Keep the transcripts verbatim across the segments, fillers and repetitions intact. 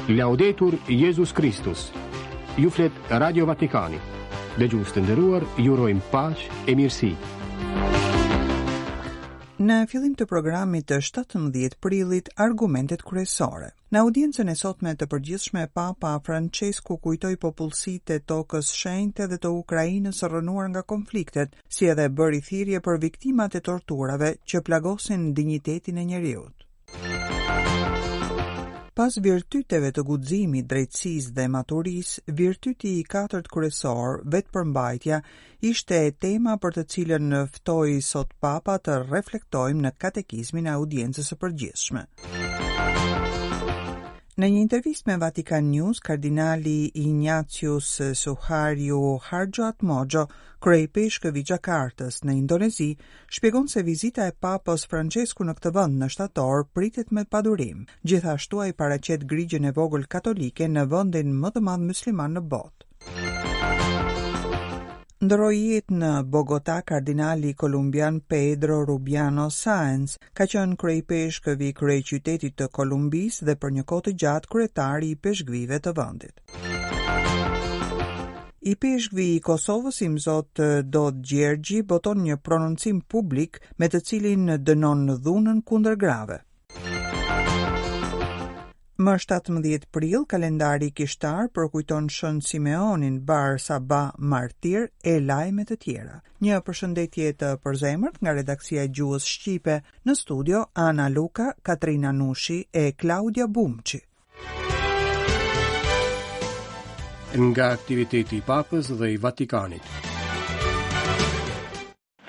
Laudetur Jezus Kristus. Ju flet Radio Vatikani. Dëgjues të nderuar, ju urojmë paqe e mirësi. Në fillim të programit të shtatëmbëdhjetë prillit, argumentet kryesore. Në audiencën e sotme të përgjithshme, Papa Francesku kujtoi popullsitë e tokës shenjte dhe të Ukrainës rrënuar nga konfliktet, si edhe bëri thirrje për viktimat e torturave që plagosin dinjitetin e njeriut. Pas virtyteve të guximit, drejtësisë dhe maturisë, virtyti i katërt kryesor, vetëpërmbajtja, ishte tema për të cilën ftoi sot Papa të reflektojmë në katekizmin e audiencës së përgjithshme. Në një intervistë me Vatican News, kardinali Ignatius Suharyo Hardjoatmodjo, kryeipeshkëv i Jakartës në Indonezi, shpjegon se vizita e Papës Francesku në këtë vend në shtator pritet me padurim. Gjithashtu ai paraqet grigjën e vogël katolike në vendin më të madh musliman në botë. Ndërroi jetë në Bogota kardinali kolumbian Pedro Rubiano Sáenz, ka qenë kryeipeshkëv i kryeqytetit të Kolumbisë dhe për një kohë të gjatë kryetari i peshkvive të vendit. Ipeshkvi i Kosovës, Imzot Dod Gjergji, boton një prononcim publik me të cilin dënon dhunën kundër grave. Më shtatëmbëdhjetë prill, kalendari kishtar përkujton Shën Simeonin, Bar Saba Martir e lajme të tjera. Një përshëndetje të përzemërt nga redaksia e gjuhës shqipe, në studio Ana Luka, Katrina Nushi e Klaudia Bumçi. Nga aktiviteti i Papës dhe i Vatikanit.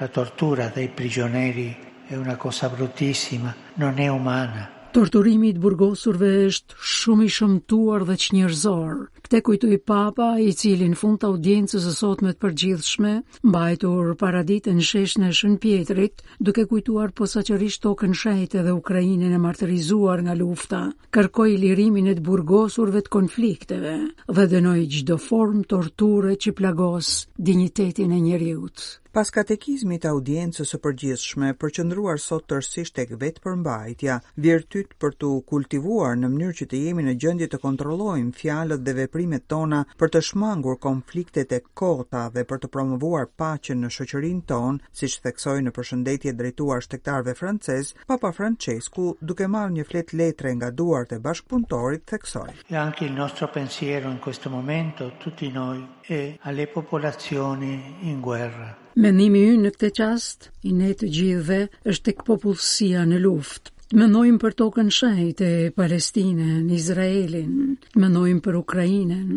La tortura dei prigionieri è una cosa bruttissima, non è umana. Torturimi i të burgosurve është shumë i shëmtuar dhe çnjerëzor. Këtë kujtoi Papa, i cili në fund të audiencës së sotme të përgjithshme, mbajtur paradite në sheshin e Shën Pjetrit, duke kujtuar posaçërisht tokën shenjte dhe Ukrainën e martirizuar nga lufta, kërkoi lirimin e të burgosurve të konflikteve dhe dënoi çdo formë torture që plagos dinjitetin e njeriut. Pas katekizmit të audiencës së përgjithshme, përqendruar sot tërësisht tek vetëpërmbajtja, virtyt për t'u kultivuar në mënyrë që të jemi në gjendje të kontrollojmë fjalët dhe veprimet tona për të shmangur konfliktet e kota dhe për të promovuar paqen në shoqërinë tonë, siç theksoi në përshëndetje drejtuar shtegtarëve francez, Papa Francesku, duke marrë një fletë letre nga duart e bashkëpunëtorit, theksoi: E anche il nostro pensiero in questo momento, tutti noi, è alle popolazioni in guerra. Mendimi ynë në këtë çast, i ne të gjithëve, është tek popullsia në luftë. Të mendojmë për tokën shenjte, Palestinën, Izraelin, të mendojmë për Ukrainën,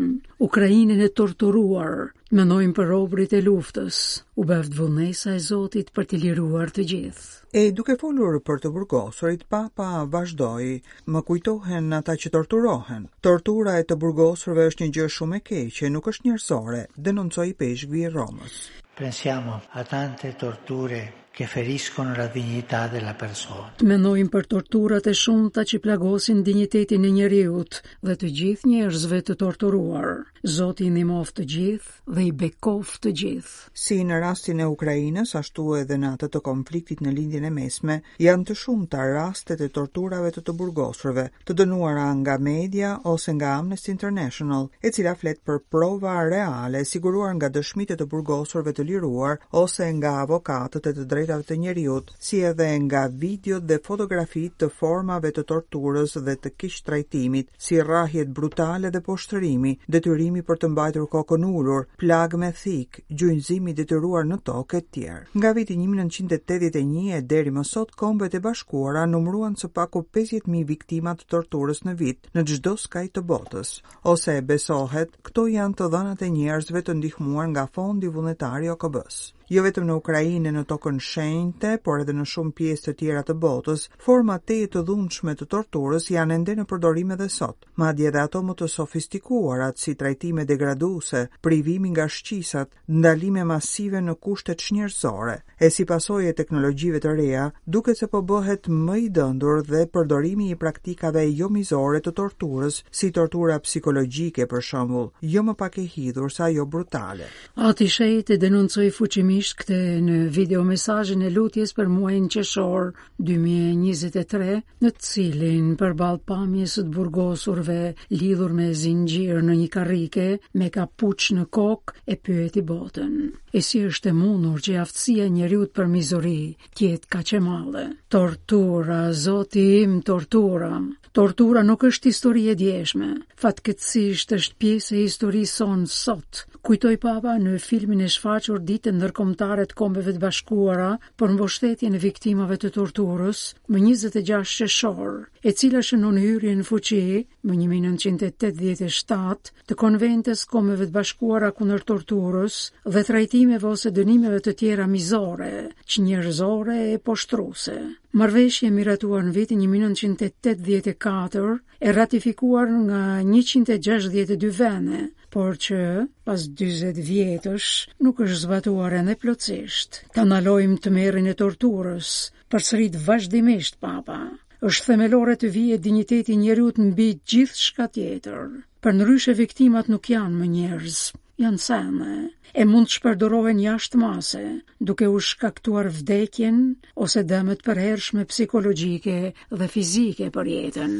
Ukrainën e torturuar, të mendojmë për robrit e luftës. U bëft vullnesa e Zotit për t'i liruar të gjithë. E duke folur për të burgosurit, Papa vazhdoi: Më kujtohen ata që torturohen. Tortura e të burgosurve është një gjë shumë e keqe, nuk është njerëzore, denoncoi peshkvi i Romës. Pensiamo a tante torture che feriscono la dignità della persona. Të mendojmë për torturat e shumta që plagosin dinjitetin e njeriut dhe të gjithë njerëzve të torturuar. Zoti i ndihmoftë të gjithë dhe i bekoftë të gjithë. Si në rastin e Ukrainës, ashtu edhe në atë të konfliktit në Lindjen e Mesme, janë të shumta rastet e torturave të të burgosurve, të dënuara nga media ose nga Amnesty International, e cila flet për prova reale siguruar nga dëshmitë e të burgosurve të liruar ose nga avokatët e të drejtave të njeriut, si edhe nga videot dhe fotografitë të formave të torturës dhe të keqtrajtimit, si rrahjet brutale dhe poshtërimi, detyrimi për të mbajtur kokën ulur, plagë me thikë, gjunjëzimi i detyruar në tokë e tjerë. Nga viti një mijë e nëntëqind e tetëdhjetë e një e deri më sot, Kombet e Bashkuara numëruan së paku pesëdhjetë mijë viktima të torturës në vit në çdo skaj të botës. Ose besohet, këto janë të dhënat e njerëzve të ndihmuar nga Fondi Vullnetar i O K B-s. Jo vetëm në Ukrainë e në tokën shenjte, por edhe në shumë pjesë të tjera të botës, forma teje të dhunshme të torturës janë ende në përdorim edhe sot. Madje edhe ato më të sofistikuarat, si trajtime degraduese, privimi nga shqisat, ndalime masive në kushte çnjerëzore. E si pasojë e teknologjive të reja, duket se po bëhet më i dëndur dhe përdorimi i praktikave jo mizore të torturës, si tortura psikologjike për shembull, jo më pak e hidhur se ajo brutale. Ati Shenjt e denoncoi fuqimisht shkurtimisht këtë në videomesazhin e lutjes për muajin qershor dy mijë e njëzet e tre, në të cilin përballë pamjes së të burgosurve lidhur me zinxhir në një karrike me kapuç në kokë e pyeti botën. E si është e mundur që aftësia e njeriut për mizori të jetë kaq e madhe? Tortura, Zoti im, tortura. Tortura nuk është histori e djeshme. Fatkeqësisht është pjesë e historisë sonë sot, kujtoi Papa në filmin e shfaqur Ditën Ndërkombëtare të Kombeve të Bashkuara për mbështetjen e viktimave të torturës më njëzet e gjashtë qershor, e cila shënon hyrjen në fuqi më një mijë e nëntëqind e tetëdhjetë e shtatë të Konventës Kombeve të Bashkuara kundër torturës dhe trajtimeve ose dënimeve të tjera mizore, çnjerëzore e poshtruese. Marrëveshje e miratuar në vitin një mijë e nëntëqind e tetëdhjetë e katër, e ratifikuar nga njëqind e gjashtëdhjetë e dy vende, por që pas dyzet vjetësh nuk është zbatuar ende plotësisht. Ta ndalojmë tmerrin e torturës, përsërit vazhdimisht Papa. Është themelore të vijë dinjiteti i njeriut mbi gjithçka tjetër. Përndryshe viktimat nuk janë më njerëz, janë sene, e mund të shpërdorohen jashtë mase, duke u shkaktuar vdekjen ose dëmet përhershme psikologjike dhe fizike për jetën.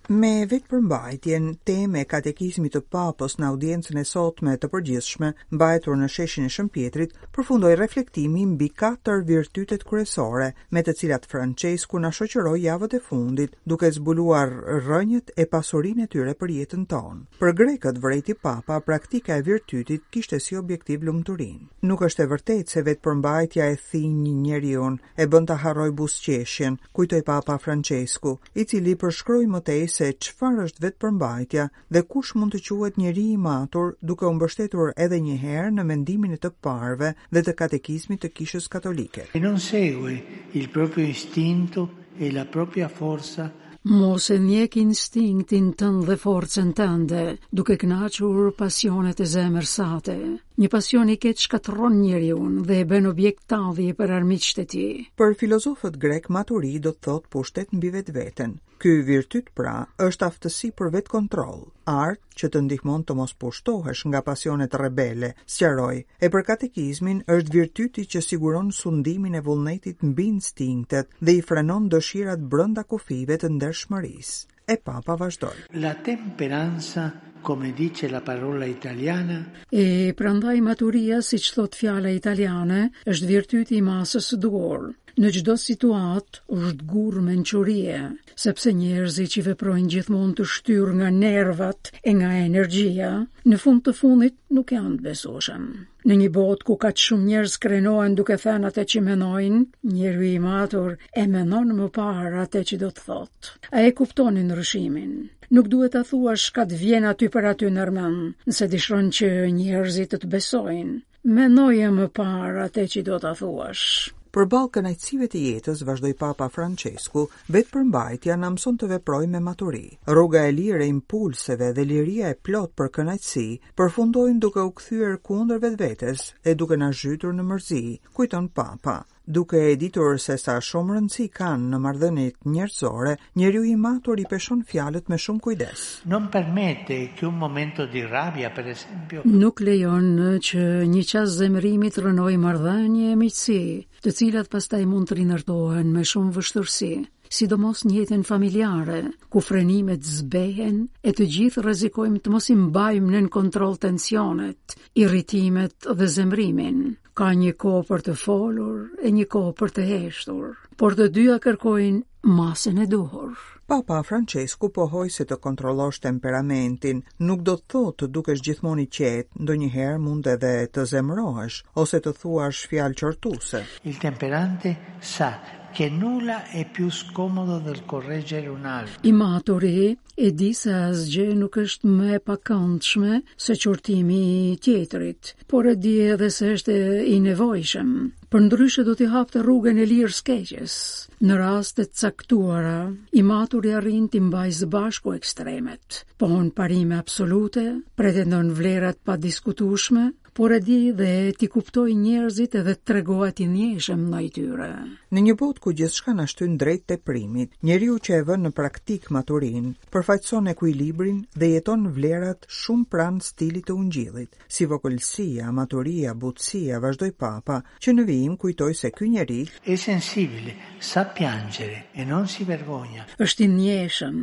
Me vetëpërmbajtjen, teme e katekizmit të Papës në audiencën e sotme të përgjithshme, mbajtur në sheshin e Shën Pjetrit, përfundoi reflektimi mbi katër virtytet kryesore me të cilat Francesku na shoqëroi javët e fundit, duke zbuluar rrënjët e pasurinë e tyre për jetën tonë. Për grekët, vrejti Papa, praktika e virtytit kishte si objektiv lumturinë. Nuk është e vërtetë se vetëpërmbajtja e thinj njeriun, e bën ta harroj buzëqeshjen, kujtoi Papa Francesku, i cili përshkroi më tej se çfarë është vetëpërmbajtja dhe kush mund të quhet njeri i matur, duke u mbështetur edhe një herë në mendimin e të parëve dhe të katekizmit të Kishës Katolike. E non segue il proprio istinto e la propria forza. Mos e ndjek instinktin tënd dhe forcën tënde, duke kënaqur pasionet e zemrës sate. Një pasion i keq shkatërron njeriun dhe e bën objekt tallje për armiqtë e tij. Për filozofët grek, maturi do të thotë pushtet mbi vetveten. Ky virtyt pra është aftësi për vetkontroll, art që të ndihmon të mos pushtohesh nga pasionet rebele, sqaroi. E për katekizmin është virtyti që siguron sundimin e vullnetit mbi instinktet dhe i frenon dëshirat brenda kufijve të ndershmërisë. E Papa vazhdoi. La temperanza, come dice la parola italiana, E prandaj maturia, siç thot fjala italiane, është virtyti i masës së duhur. Në çdo situatë është gur mençurie, sepse njerëzit që veprojnë gjithmonë të shtyrë nga nervat e nga energjia, në fund të fundit nuk janë të besueshëm. Në një botë ku kaq shumë njerëz krenohen duke thënë atë që mendojnë, njeriu i matur e mendon më parë atë që do të thotë. A e kuptoni ndryshimin? Nuk duhet ta thuash çka të vjen aty për aty në mend, nëse dëshiron që njerëzit të të besojnë. Mendoje më parë atë që do ta thuash. Përballë kënaqësive të jetës, vazhdoi Papa Francesku, vetëpërmbajtja na mëson të veprojmë me maturi. Rruga e lirë e impulseve dhe liria e plot për kënaqësi përfundojnë duke u kthyer kundër vetvetes e duke na zhytur në mërzi, kujton Papa. Duke e ditur se sa shumë rëndësi kanë në marrëdhëniet njerëzore, njeriu i matur i peshon fjalët me shumë kujdes. Non permette che un momento di rabbia, per esempio, nuk lejon që një çast zemërimi të rrënojë marrëdhënie e miqësi, të cilat pastaj mund të rindërtohen me shumë vështirësi, sidomos në jetën familjare, ku frenimet zbehen e të gjithë rrezikojmë të mos i mbajmë nën kontroll tensionet, irritimet dhe zemërimin. Ka një kohë për të folur e një kohë për të heshtur, por të dyja kërkojnë masën e duhur. Papa Francesku pohoi se të kontrollosh temperamentin nuk do të thotë të dukesh gjithmonë i qetë, ndonjëherë mund edhe të zemërohesh ose të thuash fjalë qortuese. Il temperante sa che nulla è più scomodo del correggere un altro. I maturi e di se asgjë nuk është më e pakëndshme se qortimi i tjetrit, por e di edhe se është i nevojshëm. Përndryshe do t'i hapte rrugën e lirë skeqes. Në raste të caktuara, i maturi arrin t'i mbajë së bashku ekstremet, pohon parime absolute, pretendon vlerat padiskutueshme, por e di dhe t'i kuptojë njerëzit edhe të tregohet i ndjeshëm ndaj tyre. Në një botë ku gjithçka na shtyn drejt teprimit, njeriu që e vën në praktik maturinë, përfaqëson ekuilibrin dhe jeton vlerat shumë pranë stilit të ungjillit, si vogëlsia, maturia, butësia, vazhdoi Papa, që në vijim kujtoi se ky njeri È sensibile, sa piangere e non si vergogna. Është i ndjeshëm,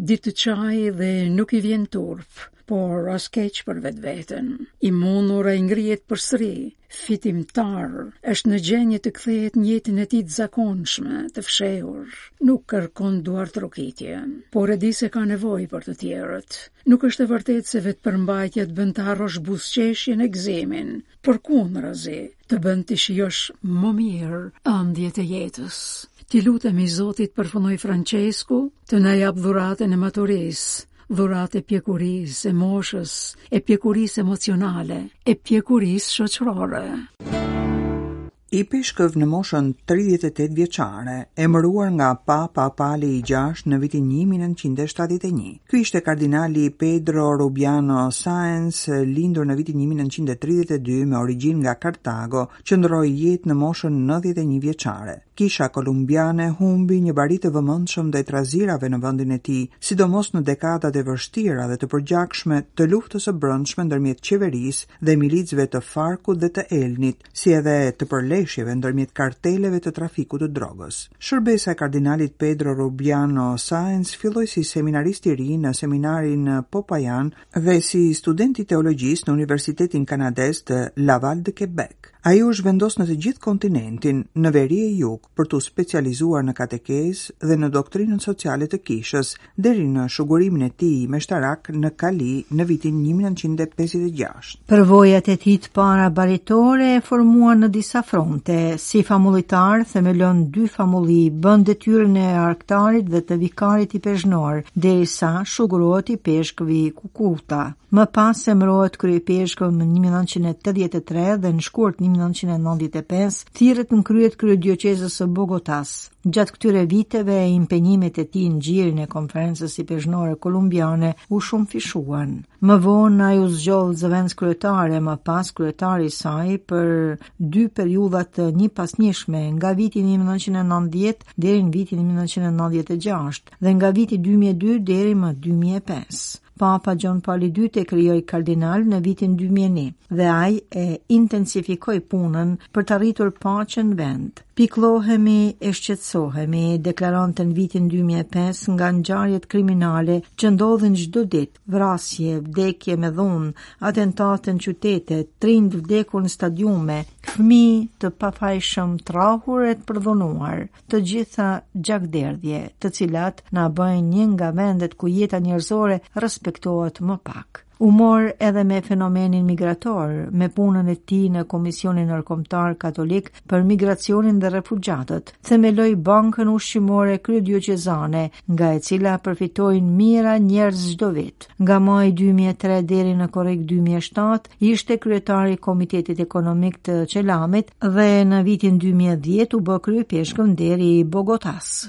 di të qajë dhe nuk i vjen turp, por as keq për vetveten. I mundur ai ngrihet përsëri, fitimtar, është në gjendje të kthehet në jetën e tij të zakonshme, të fshehur. Nuk kërkon duartrokitje, por e di se ka nevojë për të tjerët. Nuk është e vërtetë se vetëpërmbajtja të bën të harrosh buzëqeshjen e gëzimin, përkundrazi, të bën të shijosh më mirë ëndjet e jetës. Ti lutemi Zotit, përfundoi Francesku, të na jap dhuratën e maturisë, dhuratë e pjekurisë, e moshës, e pjekurisë emocionale, e pjekurisë shoqërore. Ipeshkëv në moshën tridhjetë e tetë vjeçare, emëruar nga Papa Pali i gjashtë në vitin një mijë e nëntëqind e shtatëdhjetë e një. Ky ishte kardinali Pedro Rubiano Sáenz, lindur në vitin një mijë e nëntëqind e tridhjetë e dy me origjinë nga Kartago, që ndërroi jetë në moshën nëntëdhjetë e një vjeçare. Kisha kolumbiane humbi një bari të vëmendshëm ndaj trazirave në vendin e tij, sidomos në dekadat e vështira dhe të përgjakshme të luftës së brendshme ndërmjet qeverisë dhe milicëve të Farkut dhe të Elnit, si edhe të përleshjeve ndërmjet karteleve të trafikut të drogës. Shërbesa e kardinalit Pedro Rubiano Sáenz filloi si seminarist i ri në seminarin Popayan dhe si student i teologjisë në Universitetin Kanadez të Laval de Quebec. Ai u zhvendos në të gjithë kontinentin, në veri e jug, për t'u specializuar në katekezë dhe në doktrinën sociale të kishës, deri në shugurimin e tij meshtarak në Kali në vitin një mijë e nëntëqind e pesëdhjetë e gjashtë. Përvojat e tij të para baritore e formuan në disa fronte, si famullitar themelon dy famulli, bën detyrën e arktarit dhe të vikarit i pezhnor, derisa shugurohet i peshkëvi Kukuta. Më pas emërohet kryepeshkëv më një mijë e nëntëqind e tetëdhjetë e tre dhe në shkurt një mijë e nëntëqind e nëntëdhjetë e pesë thirret në krye të kryedioqezës së Bogotas. Gjatë këtyre viteve, impenjimet e tij në gjirin e konferencës ipeshkvore kolumbiane u shumëfishuan. Më vonë ai u zgjodh zëvendëskryetar e më pas kryetari i saj për dy periudha të njëpasnjëshme, nga viti një mijë e nëntëqind e nëntëdhjetë deri në vitin një mijë e nëntëqind e nëntëdhjetë e gjashtë dhe nga viti dy mijë e dy deri më dy mijë e pesë. Papa John Paul i dytë e krijoi kardinal në vitin dy mijë e një dhe ai e intensifikoi punën për të arritur paqen në vend. Piklohemi e shqetësohemi, deklaronte në vitin dy mijë e pesë nga ngjarjet kriminale që ndodhin çdo ditë, vrasje, vdekje me dhunë, atentate në qytete, trind vdekur në stadiume, fëmijë të pafajshëm trahur e të përdhunuar, të gjitha gjakderdhje, të cilat na bëjnë një nga vendet ku jeta njerëzore respektohet më pak. U mor edhe me fenomenin migrator, me punën e tij në Komisionin Ndërkombëtar Katolik për Migracionin dhe Refugjatët. Themeloi Bankën Ushqimore Kryedioqezane, nga e cila përfitojnë mijëra njerëz çdo vit. Nga maji dy mijë e tre deri në korrik dy mijë e shtatë ishte kryetari i Komitetit Ekonomik të Çelamit dhe në vitin dy mijë e dhjetë u bë kryepeshkëv nderi i Bogotas.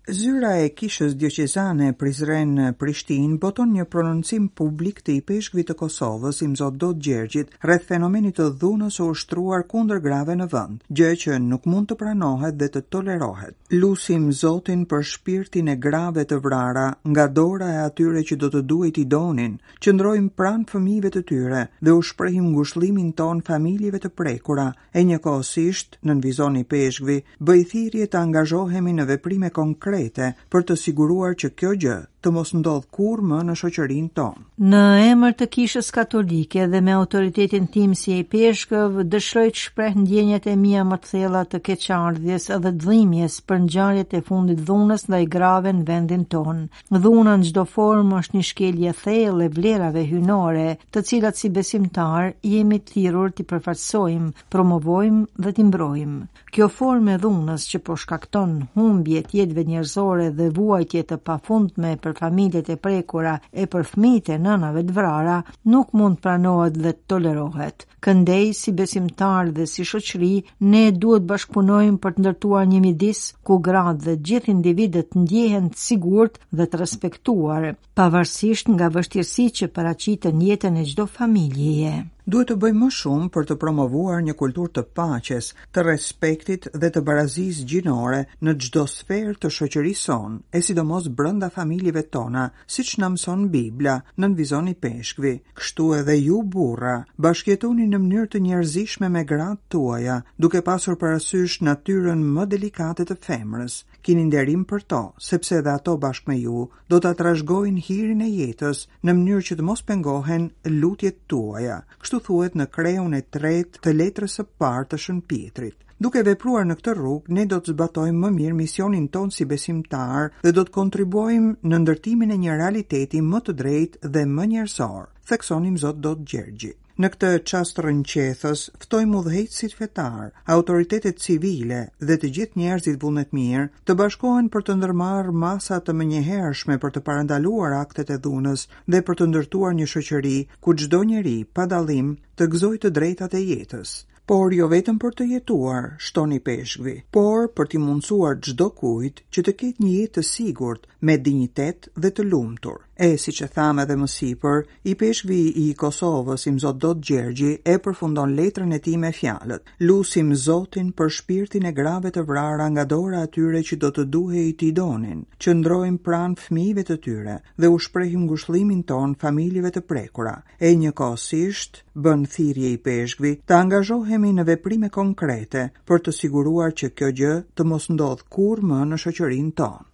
Zyra e Kishës Dioqezane Prizren Prishtinë boton një prononcim publik të ipeshkvit të Kosovës, Imzot Dod Gjergjit, rreth fenomenit të dhunës së ushtruar kundër grave në vend, gjë që nuk mund të pranohet dhe të tolerohet. Lusim Zotin për shpirtin e grave të vrara nga dora e atyre që do të duhej t'i donin, qëndrojmë pranë fëmijëve të tyre dhe u shprehim ngushëllimin ton familjeve të prekura, e njëkohësisht, nën vizon i peshkvi, bëj thirrje të angazhohemi në veprime konkrete për të siguruar që kjo gjë të mos ndodhë kurrë më në shoqërinë tonë. Në emër të Kishës Katolike dhe me autoritetin tim si ipeshkëv, dëshiroj të shpreh ndjenjat e mia më të thella të keqardhjes edhe të dhimbjes për ngjarjet e fundit dhunës ndaj grave në vendin tonë. Dhuna në çdo formë është një shkelje e thellë e vlerave hyjnore, të cilat si besimtar jemi të thirrur t'i përfaqësojmë, promovojmë dhe t'i mbrojmë. Kjo formë e dhunës që po shkakton humbje të jetëve njerëzore dhe vuajtje të pafundme për familjet e prekura e për fëmijët e nënave të vrara, nuk mund pranohet dhe tolerohet. Këndej, si besimtar dhe si shoqëri, ne duhet bashkëpunojmë për të ndërtuar një midis ku gratë dhe gjithë individët ndjehen të sigurt dhe të respektuar, pavarësisht nga vështirësitë që paraqiten në jetën e çdo familjeje. Duhet të bëjmë më shumë për të promovuar një kulturë të paqes, të respektit dhe të barazisë gjinore në çdo sferë të shoqërisë sonë, e sidomos brenda familjeve tona, siç na mëson Bibla, nënvizon ipeshkvi. Kështu edhe ju burra, bashkëjetoni në mënyrë të njerëzishme me gratë tuaja, duke pasur parasysh natyrën më delikate të femrës. Kini nderim për to, sepse edhe ato bashkë me ju do ta trashëgojnë hirin e jetës në mënyrë që të mos pengohen lutjet tuaja. Kështu thuhet në kreun e tretë të letrës së parë të Shën Pietrit. Duke vepruar në këtë rrugë, ne do të zbatojmë më mirë misionin tonë si besimtar dhe do të kontribuojmë në ndërtimin e një realiteti më të drejtë dhe më njerëzor, thekson Imzot Dodë Gjergji. Në këtë çast rrënqethës, ftojmë udhëheqësit fetar, autoritetet civile dhe të gjithë njerëzit vullnetmirë të bashkohen për të ndërmarrë masa të menjëhershme për të parandaluar aktet e dhunës dhe për të ndërtuar një shoqëri ku çdo njeri, pa dallim, të gëzojë të drejtat e jetës. Por jo vetëm për të jetuar, shton ipeshkvi, por për t'i mundësuar çdo kujt që të ketë një jetë të sigurt, me dinjitet dhe të lumtur. E, siç e thamë edhe më sipër, ipeshkvi i Kosovës, Imzot Dodë Gjergji, e përfundon letrën e tij me fjalët: Lusim Zotin për shpirtin e grave të vrara nga dora atyre që do të duhej t'i donin. Qëndrojmë pranë fëmijëve të tyre dhe u shprehim ngushëllimin ton familjeve të prekura. E njëkohësisht bën thirrje ipeshkvi të angazhohemi në veprime konkrete për të siguruar që kjo gjë të mos ndodhë kurrë më në shoqërinë tonë.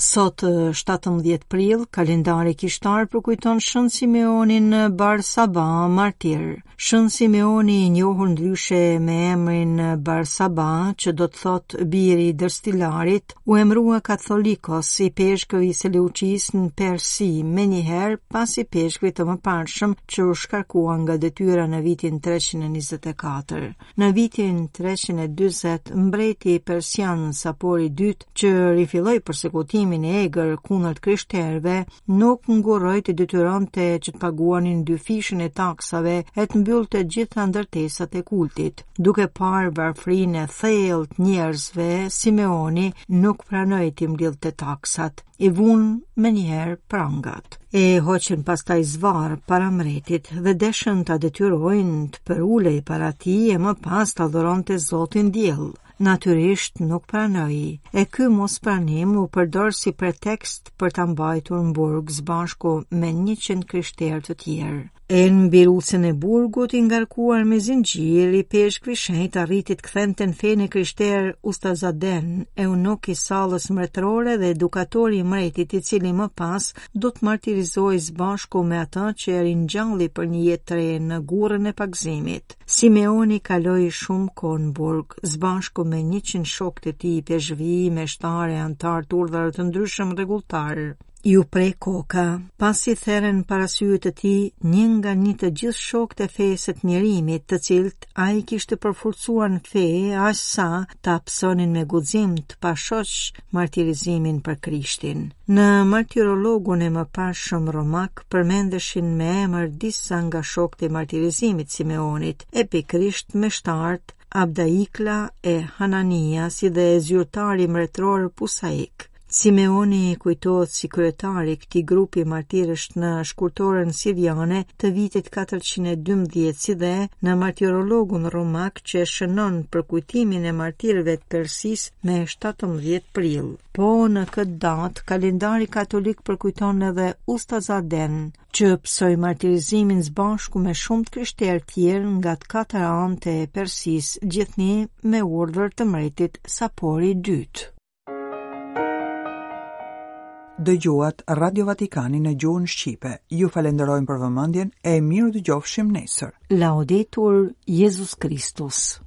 Sot shtatëmbëdhjetë prill, kalendari kishtar përkujton Shën Simeonin Bar Saba, martir. Shën Simeoni, i njohur ndryshe me emrin Bar Saba, që do të thotë biri i dërstilarit, u emërua katholikos ipeshkëv i Seleuqisë në Persi, menjëherë pas ipeshkvit të mëparshëm që u shkarkua nga detyra në vitin treqind e njëzet e katër. Në vitin treqind e dyzet, mbreti persian Sapori i dytë, që rifilloi persekutimin e egër kundër të krishterëve, nuk ngurroi të detyronte që të paguanin dyfishin e taksave e të mbyllte gjitha ndërtesat e kultit. Duke parë varfrinë e thellë të njerëzve, Simeoni nuk pranoi t'i mblidhte taksat. I vunë menjëherë prangat. E hoqën pastaj zvarr para mbretit dhe deshën ta detyrojnë të përulej para tij e më pas ta dhuronte Zotin diell. Natyrisht nuk pranoi, e ky mospranim u përdor si pretekst për ta mbajtur në burg së bashku me njëqind krishterë të tjerë. E në birucën e burgut i ngarkuar me zinxhir, ipeshkvi shenjt arriti të kthente në fenë e krishterë Ustazaden, eunuk i sallës mbretërore dhe edukatori i mbretit, i cili më pas do të martirizohej së bashku me atë që e ringjalli për një jetë të re në gurrën e pagëzimit. Simeoni kaloi shumë kohë në burg, së bashku me njëqind shokë të tij, peshvi, meshtarë e antarë të urdhrave të ndryshëm rregulltar. Ju pre koka, pasi theren para syve të tij një nga një të gjithë shokët e fesë të mjerimit, të cilët ai kishte përforcuar në fe, aq sa ta pësonin me guxim të pashoq martirizimin për Krishtin. Në martirologun e mëparshëm romak përmendeshin me emër disa nga shokët e martirizimit Simeonit, e pikërisht meshtarët Abdaikla e Hanania, si dhe zyrtari mbretëror Pusaik. Simeoni kujtohet si kryetari i këtij grupi martirësh në shkurtorën siriane të vitit katërqind e dymbëdhjetë, si dhe në martirologun romak që e shënon përkujtimin e martirëve të Persisë me shtatëmbëdhjetë prill. Po në këtë datë, kalendari katolik përkujton edhe Ustazaden, që pësoi martirizimin së bashku me shumë të krishterë tjerë nga të katër anët e Persisë, gjithnjë me urdhër të mbretit Sapori i dytë. Dëgjuat Radio Vatikanin në gjuhën shqipe. Ju falenderojmë për vëmendjen e mirë dëgjofshim nesër. Laudetur Jezus Christus.